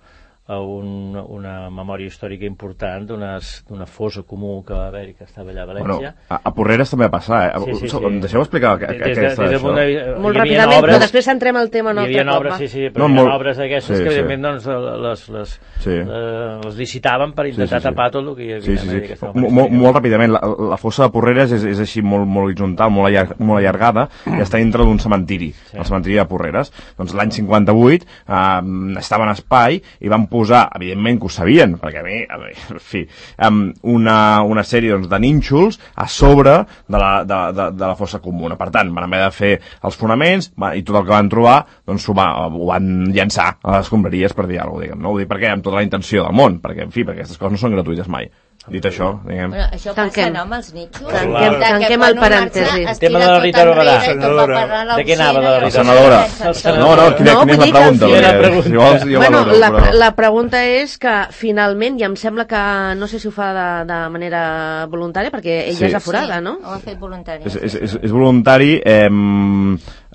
a un, una memòria històrica important d'una fosa comú que va haver-hi, que estava allà a Bueno, València. a, a Porreres també va passar, eh? Sí, sí, sí. Em deixeu explicar que, que, Des de- aquesta, des del això? punt de vista- Molt hi havia ràpidament, obres- però després entrem al tema un Hi altre havia cop. obres, va. sí, sí, però No, hi havia molt- obres d'aquestes sí, que, sí. evidentment, doncs, les, les, Sí. eh, les licitaven per intentar Sí, sí, sí. tapar tot el que hi havia. Sí, sí, en sí. aquesta Mo- operació. mo- molt ràpidament, la, la fossa de Porreres és, és així molt, molt horitzontal, molt, allar, molt allargada, i està dintre d'un cementiri, Sí. el cementiri de Porreres. Doncs l'any cinquanta-vuit eh, estava en espai i van posar, evidentment que ho sabien, perquè a mi, a mi en fi, um, una, una sèrie doncs, de nínxols a sobre de la, de, de, de la fossa comuna. Per tant, van haver de fer els fonaments va, i tot el que van trobar doncs, ho, va, ho van llançar a les escombraries, per dir alguna cosa, diguem. No? Ho dic perquè amb tota la intenció del món, perquè, en fi, perquè aquestes coses no són gratuïtes mai. Dit això, diguem... Bueno, això Tanquem. passa, no, amb els nitxos? Tanquem- De que tanquem quan el un parèntesi. marxa, El tema de la estira Rita tot Barberà. enrere i tot va parar a De què anava la l'oficina i Rita Senadora. sense- No, no, quina, No, quina és vull la dir que pregunta? al Perquè, final- si vols, jo Bueno, valoro, la, però... la pregunta és que finalment, i em sembla que no sé si ho fa de, de manera voluntària, perquè ella Sí. és aforada, no? Ho ha fet voluntari. És, és, és, és voluntari, eh,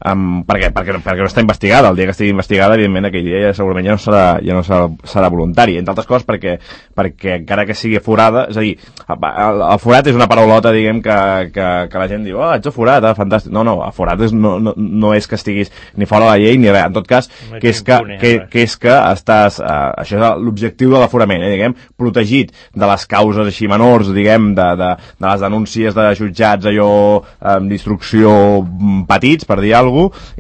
Um, perquè, perquè, perquè no està investigada. El dia que estigui investigada, evidentment, aquell dia ja segurament ja no serà, ja no serà, serà voluntari. Entre altres coses perquè, perquè encara que sigui forada, és a dir, el, el forat és una paraulota, diguem, que, que, que la gent diu, oh, ets a forat, ah, fantàstic. No, no, a forat és, no, no, no és que estiguis ni fora de la llei ni res. En tot cas, que és que, que, que, és que estàs, uh, això és l'objectiu de l'aforament, eh, diguem, protegit de les causes així menors, diguem, de, de, de les denúncies de jutjats, allò, um, d'instrucció petits, per dir alguna cosa,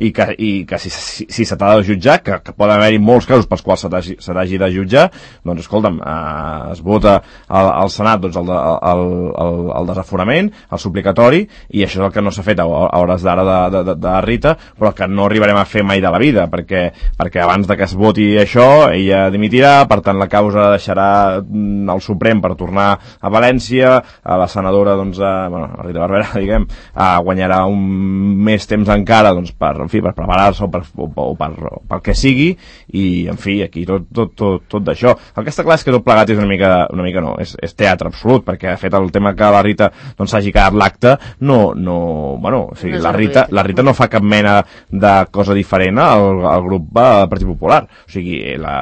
i que, i que si, si, si se t'ha de jutjar, que, que poden haver-hi molts casos pels quals se t'hagi de jutjar, doncs escolta'm, eh, es vota al, al Senat doncs, el, de, el, el, el desaforament, el suplicatori, i això és el que no s'ha fet a, a hores d'ara de, de, de, de Rita, però que no arribarem a fer mai de la vida, perquè, perquè abans de que es voti això, ella dimitirà, per tant la causa deixarà el Suprem per tornar a València, a la senadora, doncs, a, bueno, a Rita Barberà, diguem, a guanyarà un més temps encara, doncs, per, en fi, per preparar-se o, per, o, o, per, o pel que sigui, i en fi, aquí tot, tot, tot, tot d'això. El que està clar és que tot plegat és una mica, una mica no, és, és teatre absolut, perquè de fet el tema que la Rita doncs s'hagi quedat l'acte, no, no, bueno, o sigui, no la, Rita, la Rita no fa cap mena de cosa diferent al, al grup del Partit Popular, o sigui, la,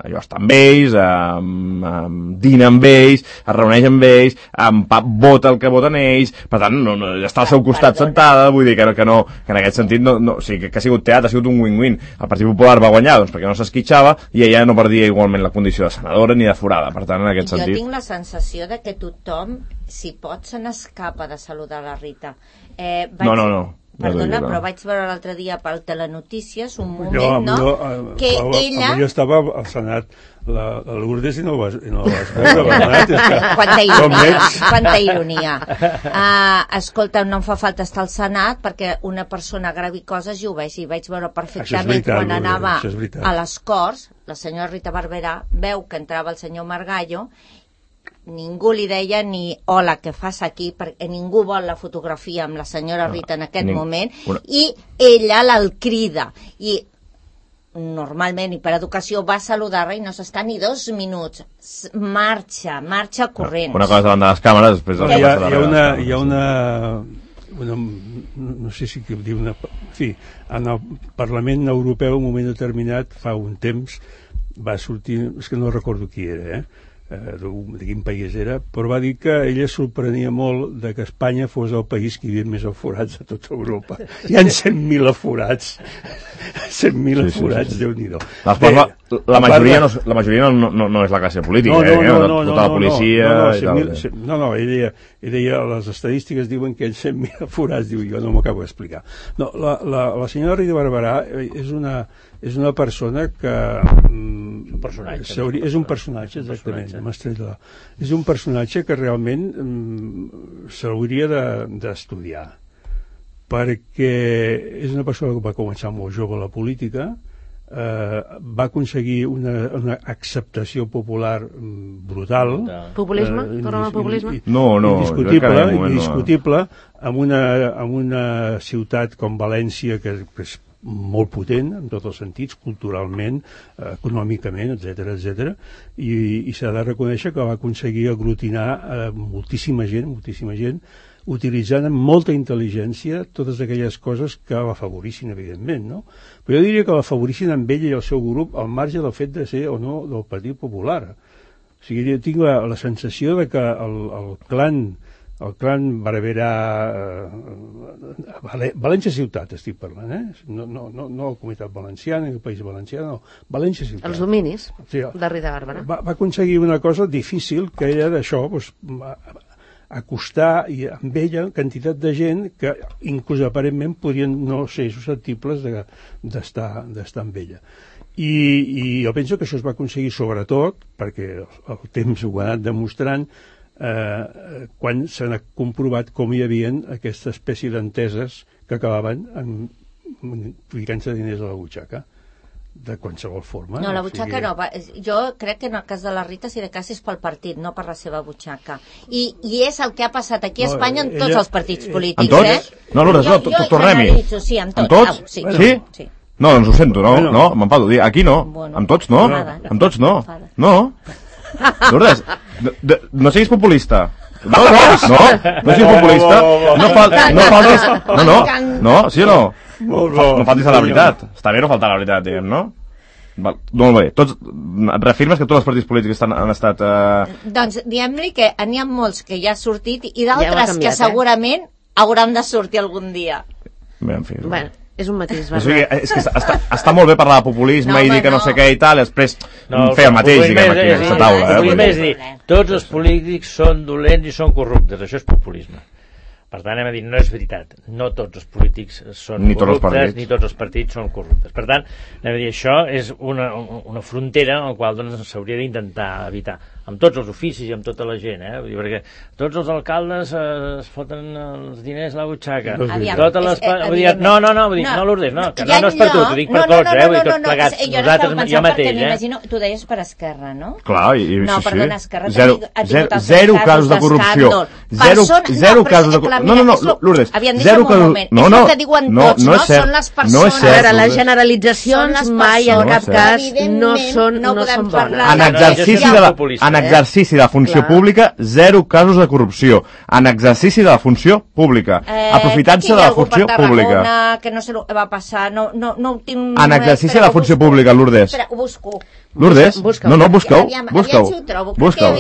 allò està amb ells, amb, amb, dina amb ells, es reuneix amb ells, amb pap vota el que voten ells, per tant, no, no, està al seu costat sentada, vull dir que, que no, que en aquest sentit no, no, o sigui, que, que ha sigut teatre, ha sigut un win-win. El Partit Popular va guanyar doncs, perquè no s'esquitxava i ella no perdia igualment la condició de senadora ni de forada, per tant en aquest jo sentit... Jo tinc la sensació de que tothom, si pot, se n'escapa de saludar la Rita. Eh, vaig... No, no, no. Perdona, no, però vaig veure l'altre dia pel Telenotícies un moment, jo, no? Jo, eh, que jo, ella... Jo estava al Senat, la, la Lourdes, i no vas, i no vas veure, Bernat, és que... Quanta ironia, quanta ironia. Uh, escolta, no em fa falta estar al Senat perquè una persona gravi coses i ho veig, i vaig veure perfectament veritat, quan anava a les Corts, la senyora Rita Barberà veu que entrava el senyor Margallo, ningú li deia ni hola, què fas aquí, perquè ningú vol la fotografia amb la senyora Rita en aquest Ning... moment, una... i ella l'el crida, i normalment, i per educació, va saludar-la i no s'està ni dos minuts, marxa, marxa corrents. Una cosa davant de les càmeres, després... No, hi ha, hi ha una... Hi ha una... Una, no sé si dir una... En fi, en el Parlament Europeu, en un moment determinat, fa un temps, va sortir... És que no recordo qui era, eh? de quin país era, però va dir que ella sorprenia molt de que Espanya fos el país que hi havia més aforats de tota Europa. Hi ha cent mil aforats. cent mil sí, aforats, sí, sí, sí. Déu-n'hi-do. Bé, la, la, majoria no, la majoria no, no, no és la classe política, no, no, eh? no, no, tota la policia... No, no, i tal. Mil, cent, no, no ell deia, ell deia, les estadístiques diuen que hi ha cent mil aforats, diu, jo no m'ho acabo d'explicar. No, la, la, la senyora Rita Barberà és una... és una persona que mm, un personatge, és un personatge, exactament, m'estrella. És un personatge que realment mm, s'hauria d'estudiar, de, perquè és una persona que va començar molt jove a la política, eh, va aconseguir una, una acceptació popular mm, brutal. Populisme? Eh, Tornem al populisme? No, no. Indiscutible, indiscutible amb una, amb una ciutat com València, que és molt potent en tots els sentits, culturalment, eh, econòmicament, etcètera, etcètera, i, i s'ha de reconèixer que va aconseguir aglutinar eh, moltíssima gent, moltíssima gent, utilitzant amb molta intel·ligència totes aquelles coses que l'afavorissin, evidentment, no? Però jo diria que l'afavorissin amb ell i el seu grup al marge del fet de ser o no del Partit Popular. O sigui, jo tinc la, la sensació de que el, el clan el clan Barberà, eh, València Ciutat estic parlant, eh? no, no, no, no la Comunitat Valenciana, el País Valencià, no, València Ciutat. Els dominis sí, de Rita Barberà. Va, va aconseguir una cosa difícil, que era d'això, doncs, acostar i amb ella quantitat de gent que inclús aparentment podrien no ser susceptibles d'estar d'estar amb ella. I, I jo penso que això es va aconseguir sobretot, perquè el, el temps ho ha anat demostrant, Eh, quan s'ha comprovat com hi havia aquesta espècie d'enteses que acabaven ficant-se diners a la butxaca de qualsevol forma. No, la butxaca o sigui... no. Va, jo crec que en el cas de la Rita, si de cas és pel partit, no per la seva butxaca. I, i és el que ha passat aquí a no, Espanya en tots ella... els partits polítics. En tots? Eh? No, Lourdes, no, jo, tornem-hi. Sí, en tots. En tots? Ah, sí, bueno. Sí? Sí. No, doncs ho sento, no, bueno. no, m'enfado. Aquí no, bueno. Amb tots no, amb tots no. No. Lourdes, no, no siguis populista. No, no, no, no siguis populista. No faltis... No, faltis, no, no, no, sí o no? No faltis a la veritat. Està bé no faltar a la veritat, diguem, no? Val, molt bé. Tots, reafirmes que tots els partits polítics estan, han estat... Eh... Doncs diguem-li que n'hi ha molts que ja ha sortit i d'altres ja canviat, que segurament eh? hauran de sortir algun dia. Bé, en fi. Bueno, és un matís, o sigui, és que està, està molt bé parlar de populisme no, i dir que no, no sé què i tal, i després no, fer el mateix, diguem, aquí a aquesta taula. El populisme és dir, tots els polítics són dolents i són corruptes, això és populisme. Per tant, anem a dir, no és veritat. No tots els polítics són ni corruptes, ni tots els partits són corruptes. Per tant, anem a dir, això és una, una frontera en la qual doncs, s'hauria d'intentar evitar. Amb tots els oficis i amb tota la gent, eh? Vull dir, perquè tots els alcaldes eh, es foten els diners a la butxaca. Aviam, totes les... és, vull dir, no, no, no, vull dir, no, no Lourdes, no, que no, no és per tu, t'ho dic per no, tots, no, no, eh? Vull dir, no, tots no, plegats, no, jo nosaltres, jo mateix, eh? M'imagino, tu deies per Esquerra, no? Clar, i, no, sí, perdona, sí. Esquerra Zero, zero, zero casos de corrupció. Zero, zero casos de corrupció. No, no, no, Lourdes, zero casos... No, no, és el que diuen tots, no? Són les persones... A veure, les generalitzacions mai en cap cas no són bones. En exercici de la funció pública, zero casos de corrupció. En exercici de la funció pública. Aprofitant-se de la funció pública. Que no sé què va passar, no, no, no ho tinc... En exercici de la funció pública, Lourdes. Espera, ho busco. Lourdes? No, no, busca-ho. Busca-ho. Busca-ho.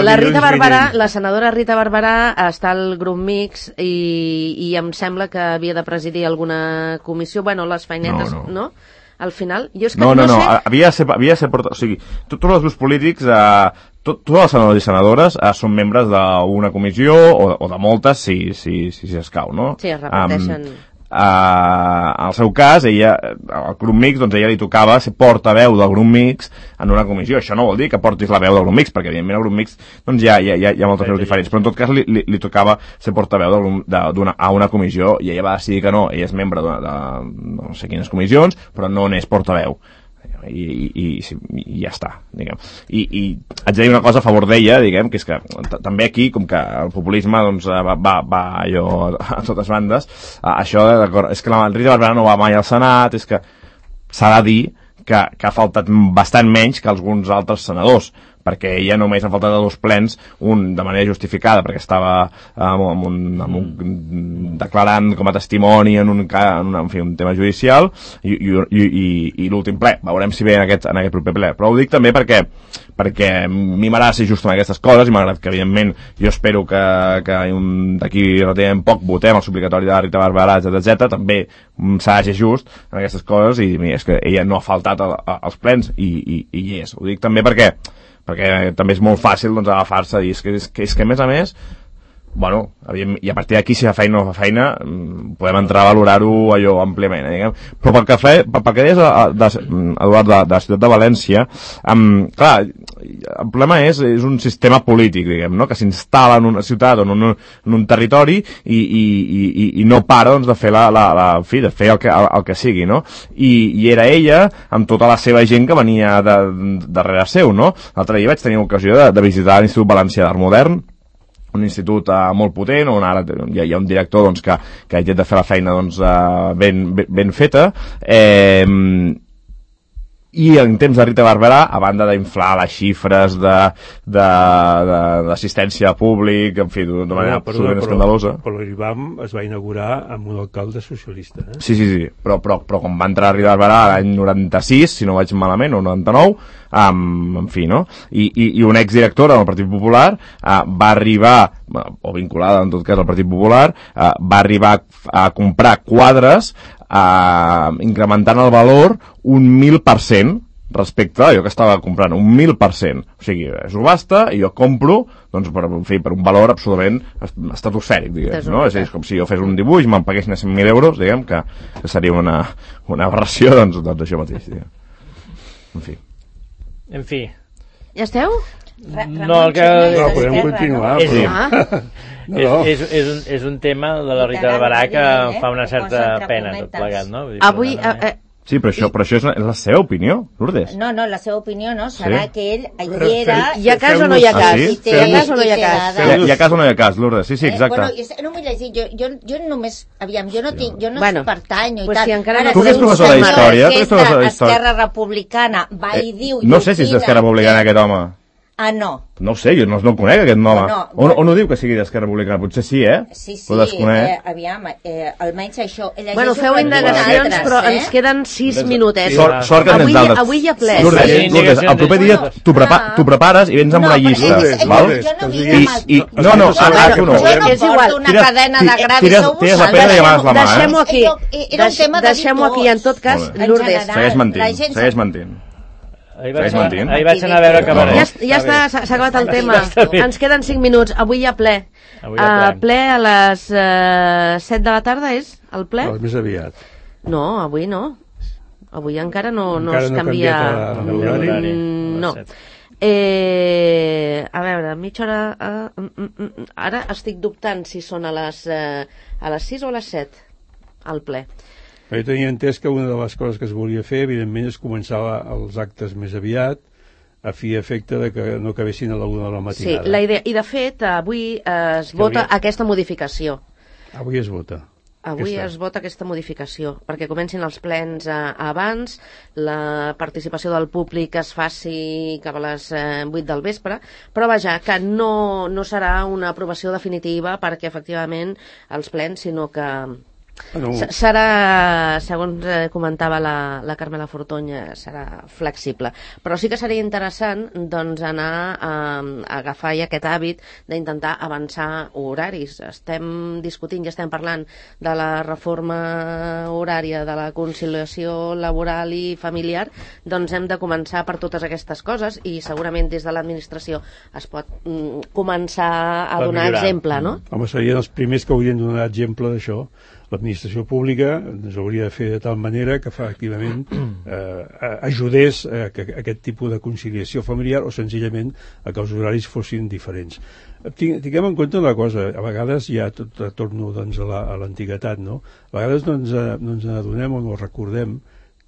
La Rita Barberà, la senadora Rita Barberà està al grup mix i, i em sembla que havia de presidir alguna comissió. Bueno, les feinetes, no? no? Al final, jo és que no, no, no, no, sé... havia de ser, havia de ser porta... O sigui, tots els grups polítics, eh, tot, tots els senadors i senadores eh, són membres d'una comissió o, o de moltes, si, si, si, si escau, no? Sí, es repeteixen... Um, Uh, en el seu cas, ella, al grup mix, doncs ella li tocava ser portaveu del grup mix en una comissió. Això no vol dir que portis la veu del grup mix, perquè evidentment al grup mix doncs hi ha, hi ha, hi ha moltes veus diferents, però en tot cas li, li, li tocava ser portaveu de, de, d'una, a una comissió i ella va decidir que no, ella és membre de, de no sé quines comissions, però no n'és portaveu. I, i, i, i ja està, diguem. I, i haig de dir una cosa a favor d'ella, diguem, que és que també aquí, com que el populisme doncs, va, va, va allò a totes bandes, això, d'acord, és que la Rita Barberà no va mai al Senat, és que s'ha de dir que, que ha faltat bastant menys que alguns altres senadors, perquè ella només ha faltat a dos plens, un de manera justificada, perquè estava amb, amb un, amb un, declarant com a testimoni en un, en un, en fi, un tema judicial, i, i, i, i l'últim ple. Veurem si ve en aquest, en aquest proper ple. Però ho dic també perquè, perquè a mi m'agrada ser just en aquestes coses, i malgrat que, evidentment, jo espero que, que d'aquí relativament poc votem el suplicatori de la Rita Barberà, etcètera, etcètera, també s'ha de ser just en aquestes coses, i mira, és que ella no ha faltat a, a, als plens, i, i, i hi és. Ho dic també perquè perquè també és molt fàcil doncs, agafar-se i és que, és, que, és que a més a més bueno, i a partir d'aquí si fa feina o no fa feina podem entrar a valorar-ho allò àmpliament, eh, diguem. Però pel que, fe, pel que deies Eduard, de, de la ciutat de València, um, clar, el problema és, és un sistema polític, diguem, no? Que s'instal·la en una ciutat o en un, en un territori i, i, i, i no para doncs, de fer la, la, la, en fi, de fer el que, el, el que sigui, no? I, i era ella amb tota la seva gent que venia de, de, darrere seu, no? L'altre dia vaig tenir ocasió de, de visitar l'Institut Valencià d'Art Modern, un institut uh, molt potent, on ara hi ha, hi ha un director doncs, que, que intenta fer la feina doncs, uh, ben, ben, ben feta, eh, i en temps de Rita Barberà, a banda d'inflar les xifres d'assistència a públic, en fi, d'una manera no, absolutament escandalosa. Però l'I B A M es va inaugurar amb un alcalde socialista. Eh? Sí, sí, sí, però, però, però quan va entrar Rita Barberà l'any noranta-sis, si no vaig malament, o noranta-nou, um, en fi, no? I, i, i una exdirectora del Partit Popular uh, va arribar, o vinculada en tot cas al Partit Popular, uh, va arribar a comprar quadres Uh, incrementant el valor un mil per cent respecte a allò que estava comprant, un mil per cent. O sigui, subhasta i jo compro doncs, per, en fi, per un valor absolutament estratosfèric, diguem, no? És, és com si jo fes un dibuix, me'n paguessin a cent mil euros, diguem, que, que seria una, una aberració, doncs, doncs això mateix, diguem. En fi. En fi. Ja esteu? No, el que... No, podem continuar. És, però... ah. No. És, és, és, un, és un tema de la Rita Barberà que em fa una certa pena tot plegat, no? Vull dir, avui... Eh, sí, però això, però això és, la, és la seva opinió, Lourdes. No, no, la seva opinió no, serà sí? Que ell hi era... Hi ha cas o no hi ha cas? Ah, sí? Hi ha cas o no hi ha cas? Hi ha, hi ha cas o no hi ha cas, Lourdes, sí, sí, exacte. Eh, bueno, no m'ho llegir, jo, jo, jo només... Aviam, jo no, tinc, jo no bueno, pertanyo i pues tal. Si encara ara, tu que ets professora d'història, tu ets professora d'història. Esquerra Republicana va i diu... No sé si és d'Esquerra Republicana aquest home. Ah, no. No ho sé, jo no, no el conec, aquest nom. No, o, no, o no diu que sigui d'Esquerra Republicana? Potser sí, eh? Sí, sí, però desconec. eh, aviam, eh, almenys això... Bueno, feu indagacions, però eh? ens queden sis minutets. Sort, sort que avui, tens d'altres. avui hi ha ple. Lourdes, Sí, Lourdes, el proper dia bueno, t'ho prepa ah. prepares i vens amb No, una però llista, és- és- val? jo no vinc I, amb el- i, no, no, Jo ara tu no. no És igual. porto una Tires- cadena de ti- gravi, tires- sou tires la vosaltres. pedra i demanes la mà, eh? Deixem-ho aquí. Era un tema de Deixem-ho aquí, en tot cas, Molt bé. Lourdes. En general. Segueix mentint, La gent segueix sap- mentint. Ahir vaig, Segueix anar, mentint. ahir vaig anar a veure Cabaret. Ja, ja està, s'ha s'ha acabat el tema. Ens queden cinc minuts. Avui hi ha ple. Avui hi ha Uh, ple a les uh, set de la tarda, és el ple? No, més aviat. No, avui no. Avui encara no, no Encara es no ha canvia... canviat la- l'horari. Mm, no. A les set. Eh, a veure, mitja hora... Uh, mm, mm, mm, ara estic dubtant si són a les, uh, a les sis o a les set, el ple. Jo tenia entès que una de les coses que es volia fer, evidentment, és començar la, els actes més aviat, a fi i efecte de que no acabessin a la una de la Sí, matinada. la idea, i de fet, avui eh, es Que vota hauria- aquesta modificació. Avui es vota. Avui Aquesta. es vota aquesta modificació, perquè comencin els plens eh, abans, la participació del públic es faci cap a les eh, vuit del vespre, però vaja, que no, no serà una aprovació definitiva perquè efectivament els plens, sinó que Bueno, S- serà, segons eh, comentava la, la Carmela Fortonya, serà flexible. Però sí que seria interessant doncs, anar a, a agafar ja aquest hàbit d'intentar avançar horaris. Estem discutint, ja estem parlant de la reforma horària, de la conciliació laboral i familiar, doncs hem de començar per totes aquestes coses i segurament des de l'administració es pot mm, començar a Per donar millorar. exemple, no? home, serien els primers que haurien de donar exemple d'això. L'administració pública ens hauria de fer de tal manera que efectivament eh, ajudés a, que, a aquest tipus de conciliació familiar o senzillament a que els horaris fossin diferents. Tinc, tinguem en compte una cosa, a vegades ja tot, torno doncs, a l'antiguitat, no? A vegades no ens, no ens adonem o no recordem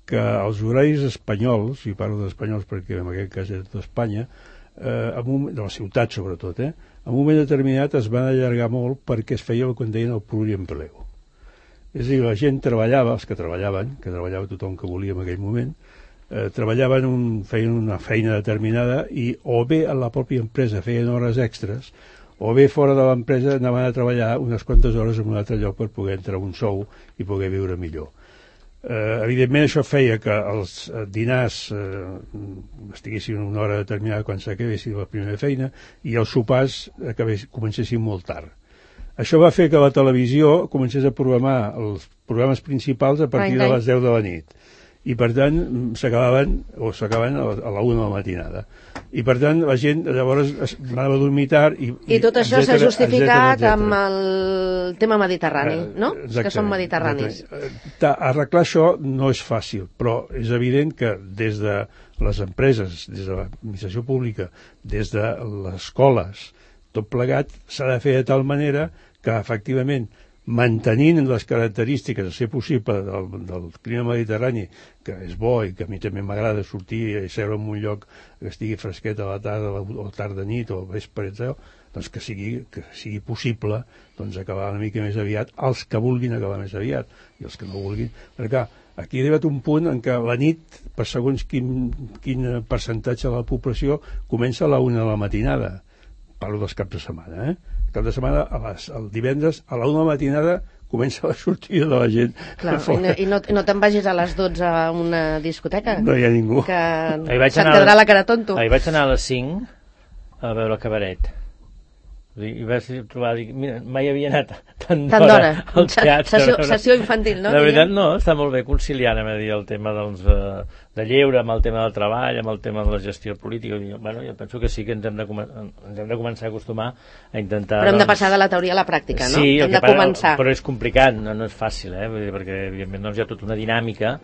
que els horaris espanyols, i parlo d'espanyols perquè en aquest cas és d'Espanya, eh, en un, de la ciutat sobretot, eh, en un moment determinat es van allargar molt perquè es feia el que en deien el pluriempleo. És a dir, la gent treballava, els que treballaven, que treballava tothom que volia en aquell moment, eh, treballaven, un, feien una feina determinada i o bé a la pròpia empresa feien hores extres o bé fora de l'empresa anaven a treballar unes quantes hores en un altre lloc per poder entrar un sou i poder viure millor. Eh, evidentment això feia que els eh, dinars eh, estiguessin una hora determinada quan s'acabessin la primera feina i els sopars acabés, comencessin molt tard. Això va fer que la televisió comencés a programar els programes principals a partir de les deu de la nit. I, per tant, s'acabaven, o s'acabaven a la una de la matinada. I, per tant, la gent llavors es anava a dormir tard i... I tot això s'ha justificat etcètera, etcètera. amb el tema mediterrani, no? Eh, Els que són mediterranis. exactament. Ta- Arreglar això no és fàcil, però és evident que des de les empreses, des de l'administració pública, des de les escoles, tot plegat s'ha de fer de tal manera que efectivament mantenint les característiques a ser possible del, del clima mediterrani, que és bo i que a mi també m'agrada sortir i seure en un lloc que estigui fresquet a la tarda o tarda nit o vespre, etcètera, doncs que sigui, que sigui possible doncs acabar una mica més aviat els que vulguin acabar més aviat i els que no vulguin, perquè aquí ha arribat un punt en què la nit, per segons quin, quin percentatge de la població, comença a la una de la matinada. Parlo dels caps de setmana, eh? El cap de setmana, a les, el divendres, a la una de la matinada, comença la sortida de la gent. Clar, i no, i no, no te'n vagis a les dotze a una discoteca, No hi ha ningú. que Ahir vaig se't anar a- quedarà la cara tonto. Ahir vaig anar a les cinc a veure el Cabaret. I vaig trobar, dic, mira, mai havia anat tant Tant d'hora d'hora. al teatre. Sessió, sessió infantil, no? La veritat Diguem? no, està molt bé conciliar, anem a dir, el tema doncs, de, de lleure amb el tema del treball, amb el tema de la gestió política. I, bueno, jo penso que sí que ens hem de, ens hem de començar a acostumar a intentar... Però hem de doncs, passar de la teoria a la pràctica, no? Sí, el hem que de passa- començar. però és complicat, no, no és fàcil, eh? Vull dir, perquè evidentment doncs, hi ha tota una dinàmica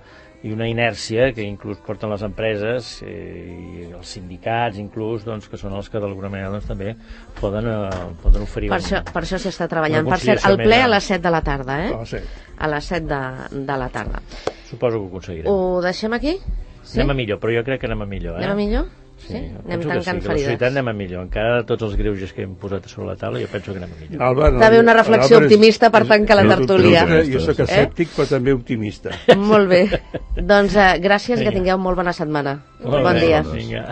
i una inèrcia que inclús porten les empreses eh, i els sindicats inclús, doncs, que són els que d'alguna manera doncs, també poden, eh, poden oferir Per un, això, per això s'està treballant. una Per cert, conciliació el ple més a gran. les set de la tarda, eh? A les set. A les set de, de la tarda. Suposo que ho aconseguirem. Ho deixem aquí? Sí? Anem a millor, però jo crec que anem a millor, eh? Anem a millor? Sí, Sí? jo Anem penso que sí, tancant que la ferides. societat anem a millor. Encara de tots els greuges que hem posat sobre la taula, jo penso que anem a millor. Alba, no, D'haver una reflexió Alba és- optimista per és- tancar la és- tertúlia. Jo soc escèptic, però també optimista. Molt bé. Doncs eh, gràcies i que Vinga. tingueu molt bona setmana. Molt Bon bé, dia. Vinga.